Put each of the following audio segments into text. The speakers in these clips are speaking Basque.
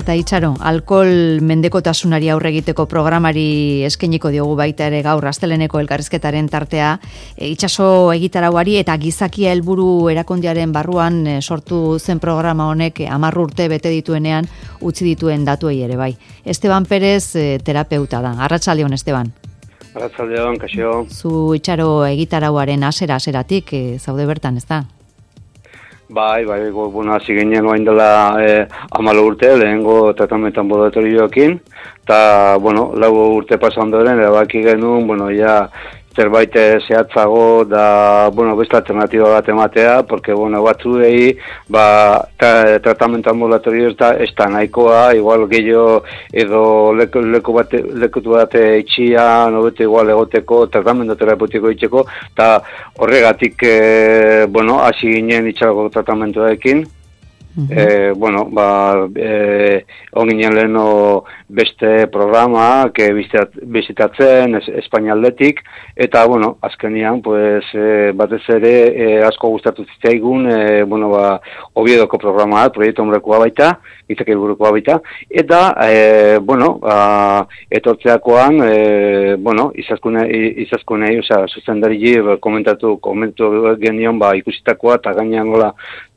Eta Itxaro, alkohol mendekotasunari aurre egiteko programari eskainiko diogu baita ere gaur Asteleneko elkarrizketaren tartea. Itxaso egitarauari eta gizakia helburu erakundearen barruan sortu zen programa honek 10 urte bete dituenean utzi dituen datuei ere bai. Esteban Perez terapeuta da. Arratsaldeon, Esteban. Arratsaldeon, kaixo. Zu Itxaro egitarauaren hasieratik zaude bertan, ez da? Bai, bueno, hasi ginen orain dela 14 urte, lehengo tratamentu anbulatorioekin, eta, bueno, 4 urte pasa ondoren, erabaki genuen, bueno, ja, zerbait zehatzago da, bueno, beste alternatiba bat ematea, porque, bueno, batzuei, tratamentu ambulatorio ez da nahikoa, igual gehiago edo lekutu bat itxia, nobete igual egoteko, tratamentu terapeutiko itxeko, eta horregatik, bueno, hasi ginen itxarako tratamentuekin. Bueno, onginen leheno beste programa bizitatzen Espainialdetik, eta, bueno, azkenian, pues, batez ere asko gustatu zitzaigun, bueno, Oviedoko programa, proiektu homrekoa baita, izak helburukoa baita, eta, bueno, etortzeakoan, bueno, izazkunei, osea, zuzendari komentu genion, ikusitakoa, eta gainean gola,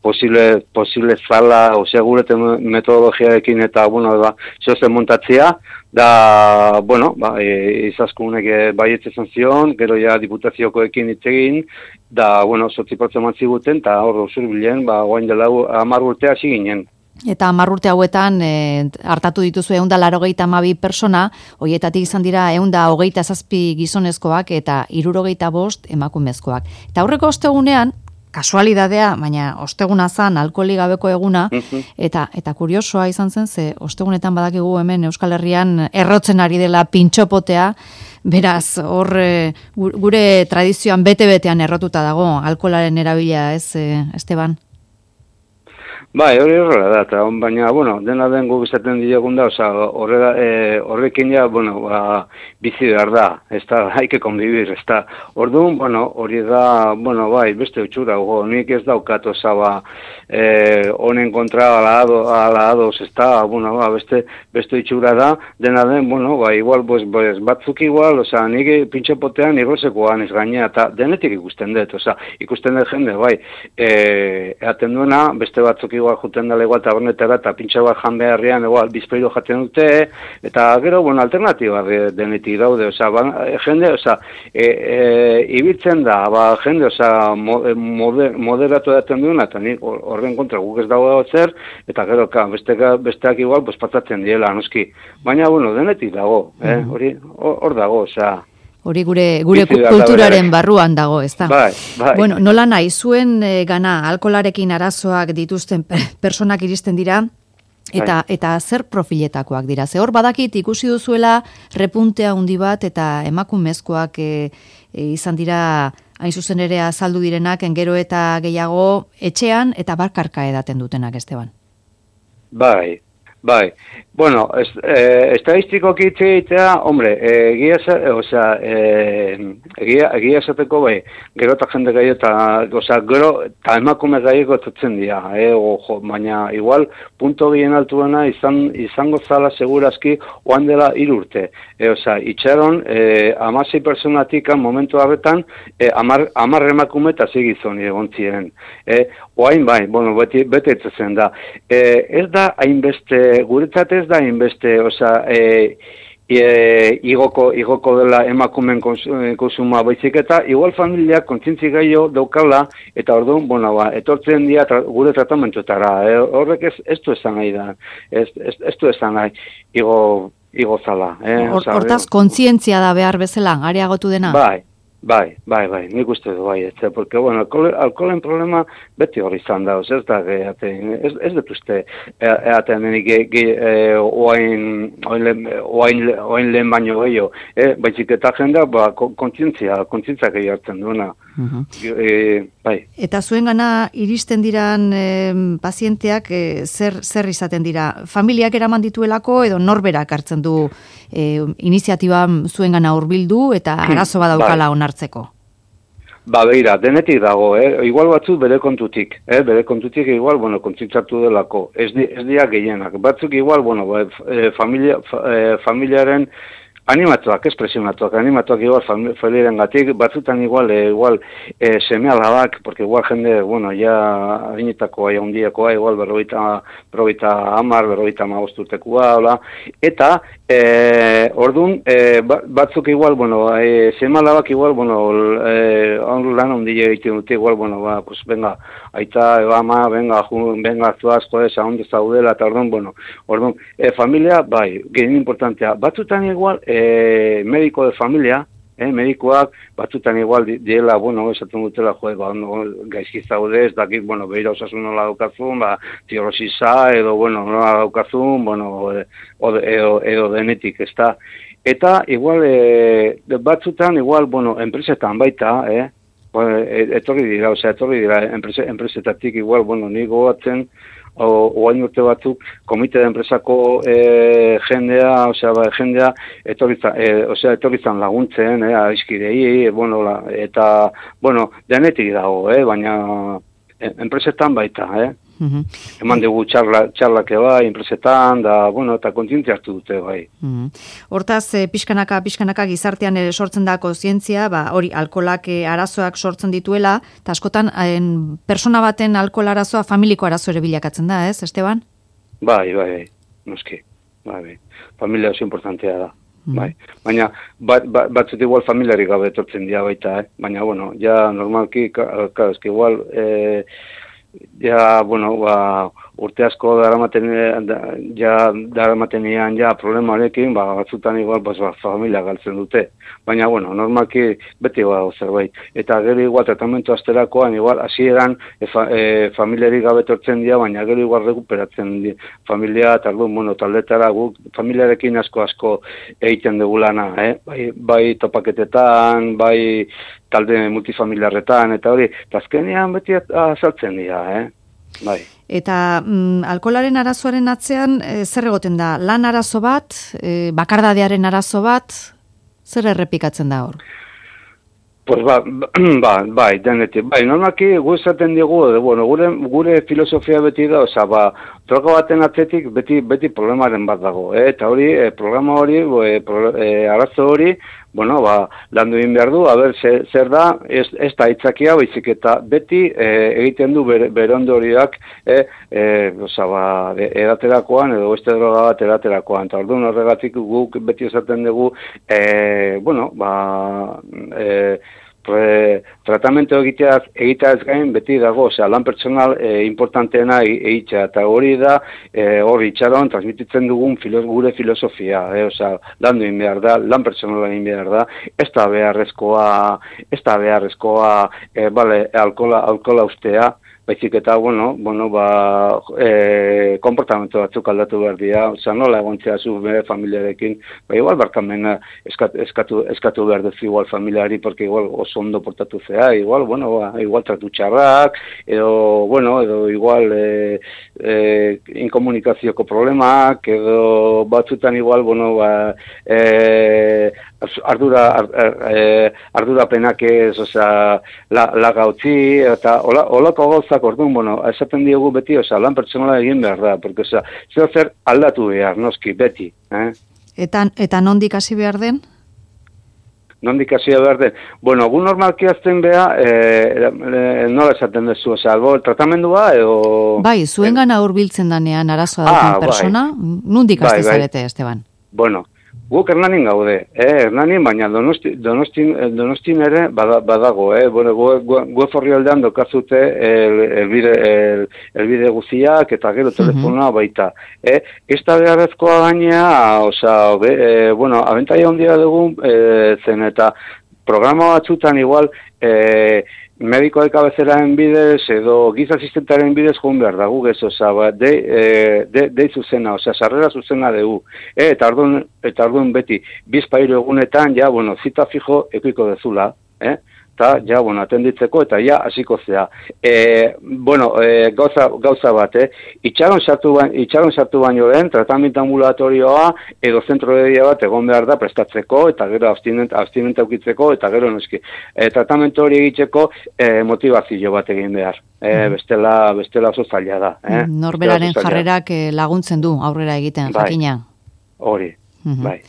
posible zala, osea, gure metodologiarekin eta, bueno, zozen montatzea, da, bueno, izazkunek baietze zion, gero ja diputaziokoekin itzegin, da, bueno, 8% matziguten, eta hor zurbilen, guain dela 10 urte hasi ginen. Eta 10 urte hauetan hartatu dituzu 182 persona, horietatik izan dira 127 gizonezkoak eta 75 emakumezkoak. Eta aurreko ostegunean, kasualidadea, baina osteguna zan, alkoholik gabeko eguna, eta kuriosoa izan zen, ze ostegunetan badakigu hemen Euskal Herrian errotzen ari dela pintxopotea, beraz, hor gure tradizioan bete-betean errotuta dago, alkoholaren erabila, ez, Esteban? Bai, hori horrela da, baina, bueno, dena den guk izaten diogun da, oza, horrekin ja, bueno, bizi behar da, ez da, haike konbibir, ez da, orduan, bueno, hori da, bueno, bai, beste utxura, nik ez daukat, oza, honen kontra ala ados, ez da, bueno, beste utxura da, dena den, bueno, igual, batzuk igual, oza, nik pintxepotean igosekoan ez gainea, eta denetik ikusten dut, oza, ikusten dut jende, bai, eaten duena, beste batzuk igual juten dela igual tabernetara eta pintxa bat jan beharrean igual bizpairo jaten dute, eta gero, bueno, alternatiba denetik daude, oza, jende, oza, ibiltzen da, jende, oza, moderatu daten duena, eta nik horren kontra guk ez dago zer, eta gero, besteak igual, patzatzen diela, noski, baina, bueno, denetik dago, hor dago, oza, hori gure kulturaren barruan dago, ez da? Bai. Bueno, nola nahi, zuen gana alkoholarekin arazoak dituzten personak iristen dira, eta zer profiletakoak dira? Ze hor badakit ikusi duzuela repuntea handi bat, eta emakumezkoak izan dira, hain zuzen ere azaldu direnak, gero eta gehiago etxean, eta barkarka edaten dutenak, Esteban. Bai. Bueno, estadistikoki hitz egitea, hombre, egia esateko bai, gero eta jende gehiago eta, gero eta emakume gehiago etutzen dira, baina igual punto bien altuena izango zala segurazki oan dela 3 urte. Itxaron 16 personatik momentu harretan 10 emakume eta 6 gizon egon ziren. Oain bai, bueno, bete etzezen da. Ez da hainbeste, guretzat ez da hainbeste, igoko dela emakumen konsuma baizik eta igual familiak kontzientzi gehiago daukala eta orduan, bueno, etortzen dira gure tratamentuetara. Horrek ez du esan nahi da, ez du esan nahi igo zala. Hortaz, kontzientzia da behar bezala, areagotu dena? Bai, nik uste du bai, porque, bueno, alkoholen problema beti hori izan da, ez da, ez dut uste, eaten denik oain lehen baino gehiago, baizik eta jendea, kontzientzia gehiago hartzen duena. Bai. Eta zuen gana iristen diran pazienteak zer izaten dira? Familiak eraman dituelako edo norberak hartzen du iniziatiba zuen gana hurbildu eta arazo badaukala onartzeko? beira, denetik dago, igual batzuk bere kontutik, igual, bueno, kontzitzatu delako, ez dira gehienak, batzuk igual, bueno, familiaren animatuak, espresionatuak, igual familiaren gatik, batzutan igual seme alabak, porque igual jende, bueno, ya harinetakoa, ya hundiakoa, igual berroita amar, berroita magosturtekoa, hola, eta, orduan, batzuk igual, bueno, seme alabak igual, bueno, lan hundia egiten dute, igual, bueno, pues venga, aita, ama, venga, zuaz, joder, onde zaudela, eta orduan, familia, bai, gehien importantea, batzutan igual, médico de familia, medikoak, batzutan igual diela, bueno, esaten dutela, gaizki zaude, ez dakit, bueno, behira osasun nola daukazun, tirosisa, edo, bueno, nola daukazun, bueno, edo denetik, ez da. Eta, igual, batzutan, igual, bueno, enpresetan baita, etorri dira, enpresetatik, igual, bueno, ni gogatzen, oain urte batzuk, komite de enpresako jendea, etorrizan laguntzen, aizkidei, bueno, eta, bueno, denetik dago, baina enpresetan baita, Eman dugu txarlak bai, enpresetan, da, bueno, eta kontzientzia hartu dute, bai. Hortaz, pixkanaka gizartean ere sortzen da kontzientzia, hori, alkolak arazoak sortzen dituela, eta askotan, persona baten alkohol arazoa familiko arazo ere bilakatzen da, ez, Esteban? Bai, noski, bai. Familia oso importantea da. Bai, baina batzut igual familiarik gabe etortzen dira baita, baina, bueno, ja normalki, eski igual, ja, bueno, urte asko daramatenean problemarekin, batzutan igual familia galtzen dute. Baina, bueno, normalki beti zerbait. Eta gero igual tratamentu asterakoan, igual hasieran familiarik gabe etortzen dira, baina gero igual rekuperatzen dira familia, eta bueno, taldetara guk familiarekin asko egiten dugu lana, bai topaketetan, bai talde multifamiliarretan, eta hori, azkenean beti azaltzen dira, bai. Eta alkoholaren arazoaren atzean, zer egoten da? Lan arazo bat, bakardadearen arazo bat, zer errepikatzen da hor? Pues bai, denetik. Bai, normalki gu esaten digu, bueno, gure filosofia beti da, droga baten atzetik beti problemaren bat dago, eta hori, programa hori, arazo hori, bueno, landu egin behar du, zer da, ez da aitzakia, baizik eta beti egiten du bere ondorioak, edaterakoan, edo beste droga bat edaterakoan, eta orduan horregatik guk beti esaten dugu, bueno, tratamentu egiteaz gain beti dago, lan pertsonal importanteena egitea, eta hori da, hori itxaron, transmititzen dugun gure filosofia, lan duen behar da, lan pertsonala egin behar da, ez da beharrezkoa, alkohola ustea, baizik eta, bueno, konportamentu batzuk aldatu behar dira, nola egontzea zu bere familiarekin, igual barkamena eskatu behar duzu igual familiari, porque igual oso ondo portatu zea, igual tratu txarrak, edo igual inkomunikazioko problemak, edo batzutan igual, ardurapenak ez, laga utzi, eta olako gauzak orduan, esaten diogu beti, lan pertsonala egin behar da, porque, zer aldatu behar, noski, beti. Eta nondik hasi behar den? Nondik hasi behar den? Bueno, gu normalki azten behar, nola esaten dezu, albo, tratamendua, edo... Bai, zuengana hurbiltzen danean arazoa duten persona, nondik hasi zarete, Esteban? Bueno, guk Hernanin gaude, Hernanin, baina Donostin ere badago, gu eforri aldean dokazute elbide guziak eta gero telefonoa baita. Ez da beharrezkoa gainea, abentaia ondia dugun zen eta programa batzutan igual medikoek abezeraren bidez edo giza asistentaren bidez joan behar dago ez, dei zuzena, sarrera zuzena dugu. Eta orduan beti, bizpairu egunetan, zita fijo ekuiko dezula, eta ja, bueno, atenditzeko, eta ja, hasiko zea. Gauza bat, itxaron sartu baino den, tratamentu ambulatorioa, edo zentro de dia bat egon behar da prestatzeko, eta gero abstinente aukitzeko, eta gero noski. Tratamentu hori egiteko motivazio bat egin behar. Bestela oso zaila da. Norberaren jarrerak laguntzen du aurrera egiten, jakina. Hori, bai.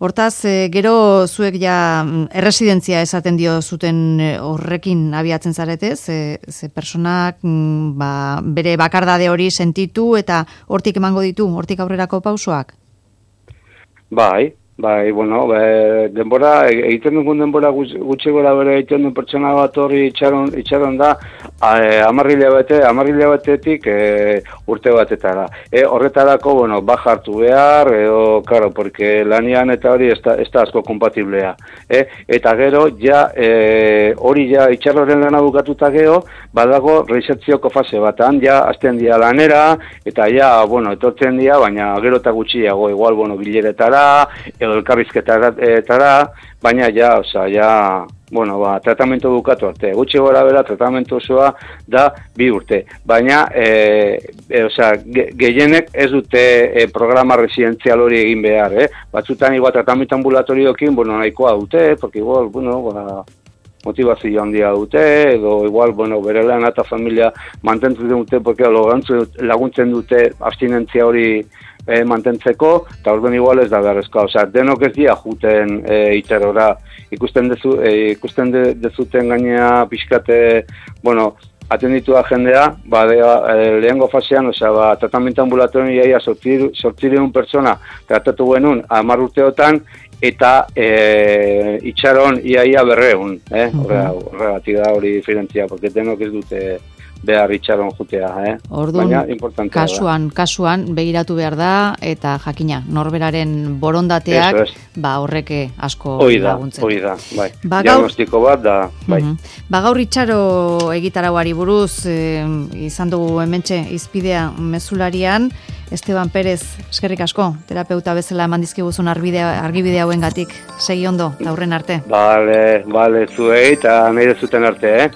Hortaz, gero zuek ja erresidentzia esaten dio zuten horrekin abiatzen zaretez, ze personak bere bakardade hori sentitu eta hortik emango ditu, hortik aurrerako pausoak? Bai, bueno, denbora, egiten dugun denbora gutxi gora bere egiten duen pertsona bat hori itxaron da, 10 hilabetetik urte batetara. Horretarako, bueno, baja hartu behar, claro, porque lanian eta hori ez da asko kompatiblea. Eta gero, hori itxarroren lana bukatuta gero, badago reinsertzioko fase batan, azten dia lanera, eta bueno, etortzen dia, baina gero eta gutxiago, igual, bueno, bileretara, edo elkarrizketara, baina bueno, tratamentu bukatu arte. Gutxi gora bera, tratamentu osoa da 2 urte. Baina, gehienek ez dute programa residenzial hori egin behar, Batzutan igual tratamentu ambulatorioekin, bueno, nahikoa dute, porque igual, bueno, motivazio handia dute, edo igual, bueno, bere lan eta familia mantentzen dute, porque laguntzen dute abstinentzia hori mantentzeko, eta orduan igual ez da beharrezkoa. Denok ez dira juten iterora. Ikusten dezuten gainea pixkate, bueno, atenditu da jendea, lehengo fasean, tratamentu ambulatorioa ia 800 pertsona tratatu genuen 10 urteotan, eta itxaron ia 200, horregatik da hori diferentzia, porque denok ez dute behar itxaron jutea, Orduan, kasuan begiratu behar da, eta jakina, norberaren borondateak, horrek asko laguntzen. Hoi da, bai. Diagnostiko bat da, bai. Gaur itxaro egitarauari buruz, izan dugu hementxe izpidea mezularian, Esteban Pérez, eskerrik asko, terapeuta bezala eman dizkiguzun argibide hauengatik. Segi ondo, aurren arte. Bale, zuei, eta nahi zuten arte,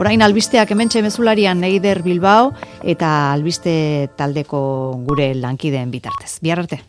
Orain albisteak hementxe mezularian Eider Bilbao, eta albiste taldeko gure lankideen bitartez. Bihar arte.